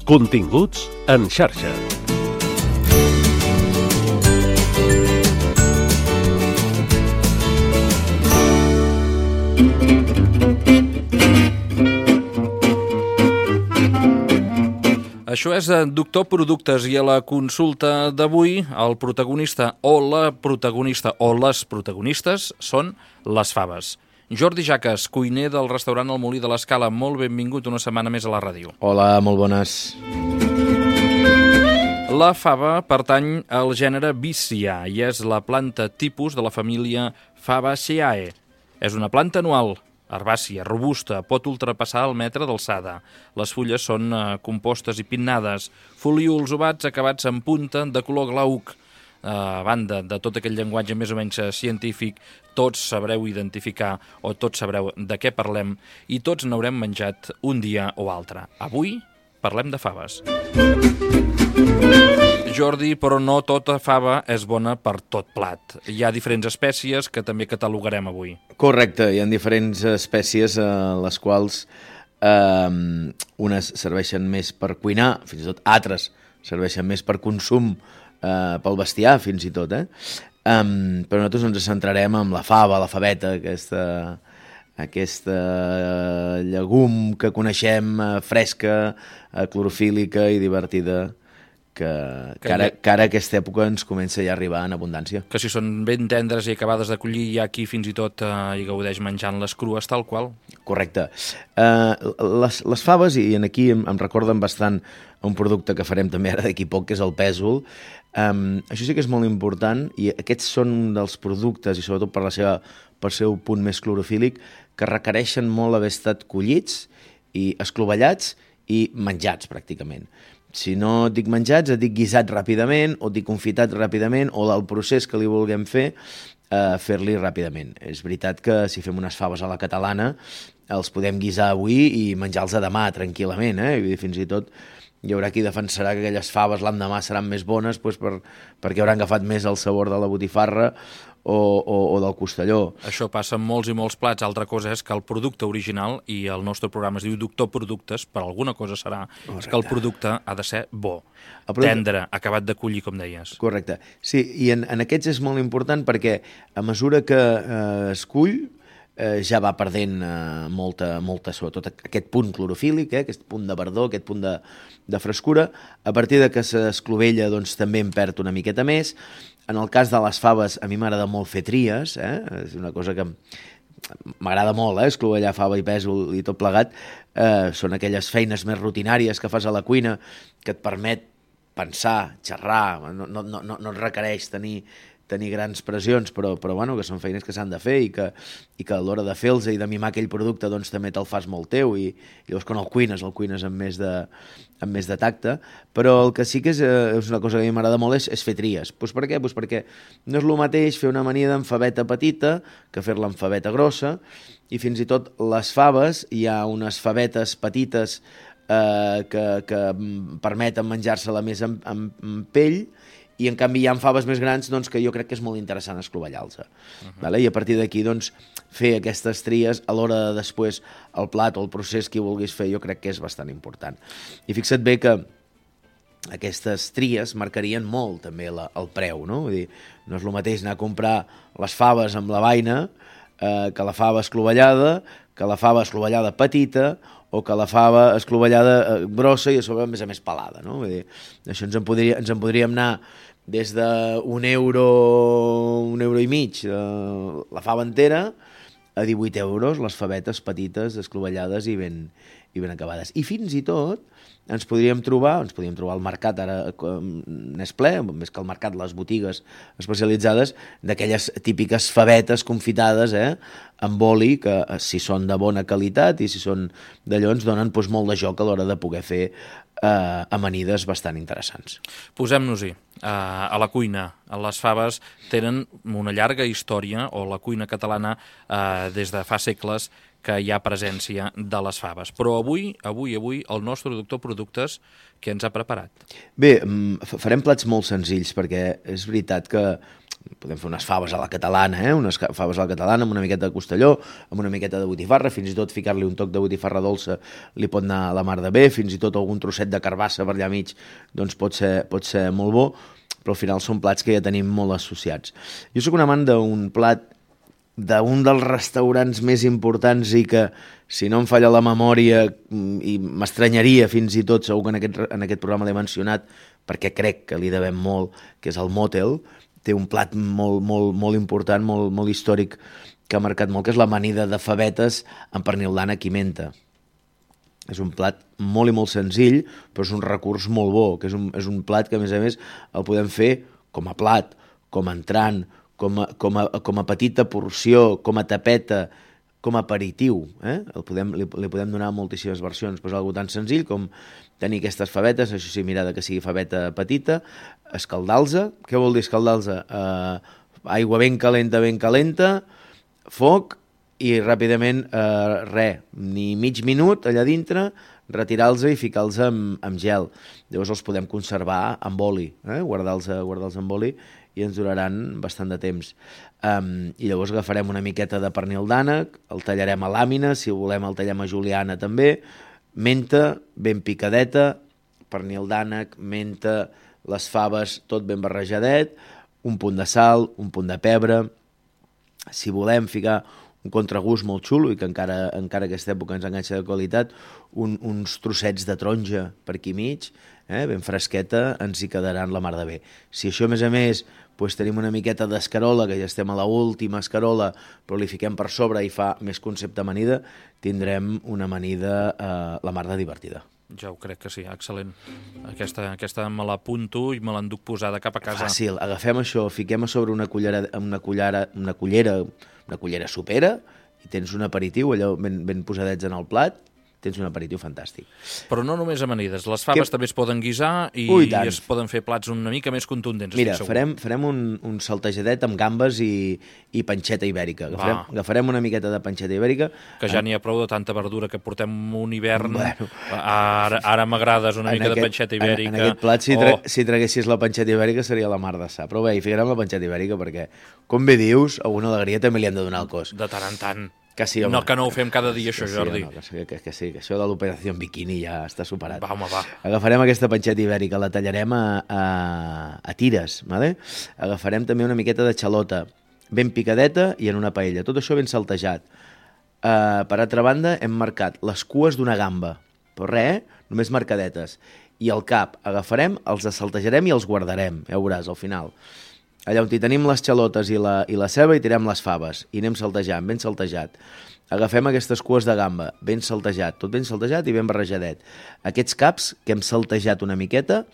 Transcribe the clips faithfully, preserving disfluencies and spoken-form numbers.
Continguts en xarxa. Això és Doctor Productes i a la consulta d'avui el protagonista o la protagonista o les protagonistes són les faves. Jordi Jaques, cuiner del restaurant El Molí de l'Escala, molt benvingut una setmana més a la ràdio. Hola, molt bones. La fava pertany al gènere Vicia i és la planta tipus de la família Fabaceae. És una planta anual, herbàcia, robusta, pot ultrapassar el metre d'alçada. Les fulles són eh, compostes i pinnades, folíols ovats acabats en punta de color glauc. Eh, a banda de tot aquell llenguatge més o menys científic, tots sabreu identificar o tots sabreu de què parlem i tots n'haurem menjat un dia o altre. Avui parlem de faves. Jordi, però no tota fava és bona per tot plat. Hi ha diferents espècies que també catalogarem avui. Correcte, hi ha diferents espècies a les quals eh, unes serveixen més per cuinar, fins i tot altres serveixen més per consum, eh, pel bestiar fins i tot, eh? Um, però nosaltres ens centrarem en la fava, la faveta, aquesta, aquesta llegum que coneixem, eh, fresca, eh, clorofílica i divertida, que, que, ara, que ara aquesta època ens comença ja a arribar en abundància. Que si són ben tendres i acabades de collir, hi ha qui fins i tot eh, hi gaudeix menjant-les crues tal qual. Correcte. Uh, les, les faves, i aquí em, em recorden bastant un producte que farem també ara d'aquí poc, que és el pèsol. Um, això sí que és molt important, i aquests són un dels productes, i sobretot per la seva, per seu punt més clorofílic, que requereixen molt haver estat collits i esclovellats i menjats, pràcticament. Si no et dic menjats, et dic guisats ràpidament, o et dic confitat ràpidament, o del procés que li vulguem fer, eh, fer-li ràpidament. És veritat que si fem unes faves a la catalana, els podem guisar avui i menjar-los a demà, tranquil·lament, eh? I fins i tot hi haurà qui defensarà que aquelles faves l'endemà seran més bones doncs per, perquè hauran agafat més el sabor de la botifarra o, o, o del costelló. Això passa amb molts i molts plats. Altra cosa és que el producte original, i el nostre programa es diu Doctor Productes, per alguna cosa serà és que el producte ha de ser bo, producte... tendre, acabat de collir, com deies. Correcte. Sí, i en, en aquests és molt important perquè a mesura que eh, es cull, Eh, ja va perdent eh, molta, molta, sobretot aquest punt clorofílic, eh, aquest punt de verdor, aquest punt de, de frescura. A partir de que s'esclovella, doncs també en perd una miqueta més. En el cas de les faves, a mi m'agrada molt fer tries, eh? És una cosa que m'agrada molt, eh? Esclovellar fava i pèsol i tot plegat. Eh, són aquelles feines més rutinàries que fas a la cuina que et permet pensar, xerrar, no, no, no, no et requereix tenir tenir grans pressions, però, però bueno, que són feines que s'han de fer i que, i que a l'hora de fer-los i de mimar aquell producte doncs també te'l fas molt teu i, i llavors quan el cuines, el cuines amb més de, amb més de tacte, però el que sí que és, és una cosa que a mi m'agrada molt és, és fer tries. Pues per què? Pues perquè no és el mateix fer una amanida amb faveta petita que fer-la amb faveta grossa, i fins i tot les faves, hi ha unes favetes petites eh, que, que permeten menjar-se-la més amb, amb, amb pell, i en canvi hi ha faves més grans doncs, que jo crec que és molt interessant esclovellar-los. Uh-huh. Vale? I a partir d'aquí doncs, fer aquestes tries a l'hora de després el plat o el procés que vulguis fer jo crec que és bastant important. I fixa't bé que aquestes tries marcarien molt també la, el preu, no? Vull dir, no és el mateix anar a comprar les faves amb la vaina eh, que la fava esclovellada, que la fava esclovellada petita, o que la fava esclovellada eh, grossa i a sobre a més a més pelada, no? Vull dir, això ens en, podria, ens en podríem anar des d'un euro, un euro i mig, eh, la fava entera, a divuit euros, les favetes petites, esclovellades i ben, i ben acabades. I fins i tot ens podríem trobar, ens podríem trobar al mercat, ara n'és ple, més que al mercat, les botigues especialitzades, d'aquelles típiques favetes confitades, eh, amb oli, que si són de bona qualitat i si són d'allò ens donen doncs, molt de joc a l'hora de poder fer eh, amanides bastant interessants. Posem-nos-hi. Uh, a la cuina, les faves tenen una llarga història, o la cuina catalana uh, des de fa segles que hi ha presència de les faves. Però avui, avui, avui, el nostre Doctor Productes, què ens ha preparat? Bé, farem plats molt senzills, perquè és veritat que podem fer unes faves a la catalana, eh? unes faves a la catalana amb una miqueta de costelló, amb una miqueta de botifarra, fins i tot ficar-li un toc de botifarra dolça li pot anar a la mar de bé, fins i tot algun trosset de carbassa per allà mig doncs pot ser, pot ser molt bo, però al final són plats que ja tenim molt associats. Jo sóc un amant d'un plat d'un dels restaurants més importants i que, si no em falla la memòria, i m'estranyaria fins i tot, segur que en aquest, en aquest programa l'he mencionat, perquè crec que li devem molt, que és el Motel. Té un plat molt, molt, molt important, molt, molt històric, que ha marcat molt, que és l'amanida de favetes amb pernil d'ànec i menta. És un plat molt i molt senzill, però és un recurs molt bo, que és un, és un plat que, a més a més, el podem fer com a plat, com a entrant, com a, com a, com a petita porció, com a tapeta, com a aperitiu. Eh? El podem, li, li podem donar moltíssimes versions, però és algo tan senzill com tenir aquestes favetes, això sí, mirada que sigui faveta petita, escaldar-los. Què vol dir escaldar-los? Uh, aigua ben calenta, ben calenta, foc, i ràpidament, eh, res, ni mig minut allà dintre, retirar-los i ficar-los amb, amb gel. Llavors els podem conservar amb oli, eh? guardar-los guardar amb oli, i ens duraran bastant de temps. Um, I llavors agafarem una miqueta de pernil d'ànec, el tallarem a làmines, si volem el tallem a juliana també, menta ben picadeta, pernil d'ànec, menta, les faves, tot ben barrejadet, un punt de sal, un punt de pebre. Si volem ficar un contragust molt xulo i que encara, encara aquesta època ens enganxa de qualitat, un, uns trossets de taronja per aquí mig, eh, ben fresqueta, ens hi quedaran la mar de bé. Si això, a més a més, doncs tenim una miqueta d'escarola, que ja estem a l'última escarola, però li fiquem per sobre i fa més concepte amanida, tindrem una amanida eh, la mar de divertida. Ja ho crec que sí, excel·lent. Aquesta, aquesta me l'apunto i me l'enduc posada cap a casa. Fàcil, agafem això, fiquem a sobre una cullera, una cullera, una cullera, una cullera sopera i tens un aperitiu, allò ben, ben posadets en el plat, tens un aperitiu fantàstic. Però no només amanides, les faves que... també es poden guisar i, Ui, i es poden fer plats una mica més contundents. Mira, farem, farem un, un saltejadet amb gambes i, i panxeta ibèrica. Agafarem, agafarem una miqueta de panxeta ibèrica. Que ja n'hi ha prou de tanta verdura, que portem un hivern. Bueno, ara ara m'agrades una mica aquest, de panxeta ibèrica. En, en aquest plat, si, tra oh. si traguessis la panxeta ibèrica, seria la mar de sa. Però bé, hi ficarem la panxeta ibèrica perquè, com bé dius, alguna alegria també li hem de donar al cos. De tant en tant. Que sí, home. No, que no ho fem cada dia, això, sí, Jordi. No, que, sí, que, que sí, que això de l'operació en biquini ja està superat. Va, home, va. Agafarem aquesta panxeta ibèrica, la tallarem a, a, a tires, ¿vale? Agafarem també una miqueta de xalota, ben picadeta i en una paella. Tot això ben saltejat. Uh, per altra banda, hem marcat les cues d'una gamba, però res, eh? Només marcadetes. I el cap, agafarem, els saltejarem i els guardarem, ja ho veuràs, al final. Allà on hi tenim les xalotes i la, i la ceba i tirem les faves i anem saltejant, ben saltejat. Agafem aquestes cues de gamba, ben saltejat, tot ben saltejat i ben barrejadet. Aquests caps que hem saltejat una miqueta,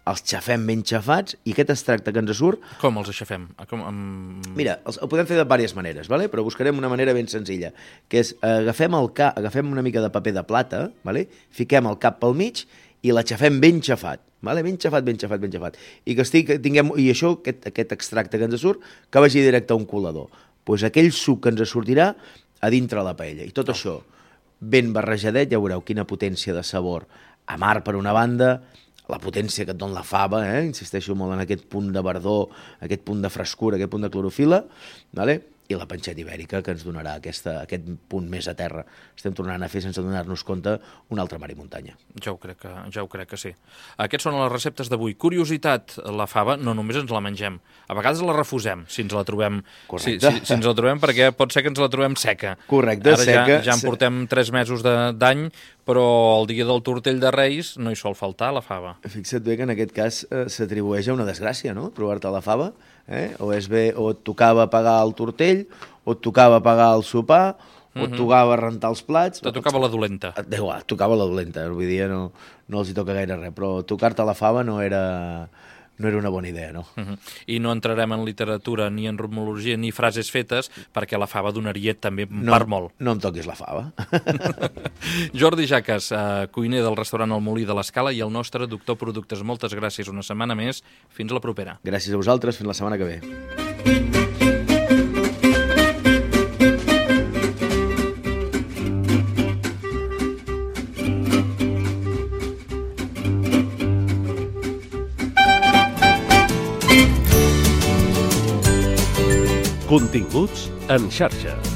els xafem ben xafats i aquest extracte que ens surt... Com els aixafem? Com, amb... Mira, els, el podem fer de diverses maneres, ¿vale? Però buscarem una manera ben senzilla, que és agafem, el ca, agafem una mica de paper de plata, ¿vale? Fiquem el cap pel mig i l'aixafem ben xafat. Vale? Ben xafat, ben xafat, ben xafat. I que estic, tinguem, i això, aquest, aquest extracte que ens surt, que vagi directe a un colador. Pues aquell suc que ens sortirà a dintre la paella. I tot oh. això ben barrejadet, ja veureu quina potència de sabor. Amar per una banda, la potència que et dona la fava, eh? Insisteixo molt en aquest punt de verdor, aquest punt de frescura, aquest punt de clorofila, vale? I la panxeta ibèrica que ens donarà aquesta, aquest punt més a terra. Estem tornant a fer, sense donar-nos compte, un altre mar i muntanya. Ja ho crec que, ja ho crec que sí. Aquestes són les receptes d'avui. Curiositat, la fava no només ens la mengem. A vegades la refusem, si ens la trobem. Si, si, si ens la trobem, perquè pot ser que ens la trobem seca. Correcte, Ara seca. Ja, ja en portem tres mesos d'any, però el dia del tortell de Reis no hi sol faltar la fava. Fixa't bé que en aquest cas eh, s'atribueix a una desgràcia, no?, trobar-te la fava. Eh? O, és bé, o et tocava pagar el tortell, o et tocava pagar el sopar, o et tocava rentar els plats... Te tocava la dolenta. Et, et tocava la dolenta, avui dia no, no els hi toca gaire res, però tocar-te la fava no era, no era una bona idea, no? Uh -huh. I no entrarem en literatura, ni en romologia, ni frases fetes, perquè la fava donaria també no, per molt. No em toquis la fava. Jordi Jaques, eh, cuiner del restaurant El Molí de l'Escala i el nostre doctor productes. Moltes gràcies una setmana més. Fins la propera. Gràcies a vosaltres. Fins la setmana que ve. Continguts en xarxa.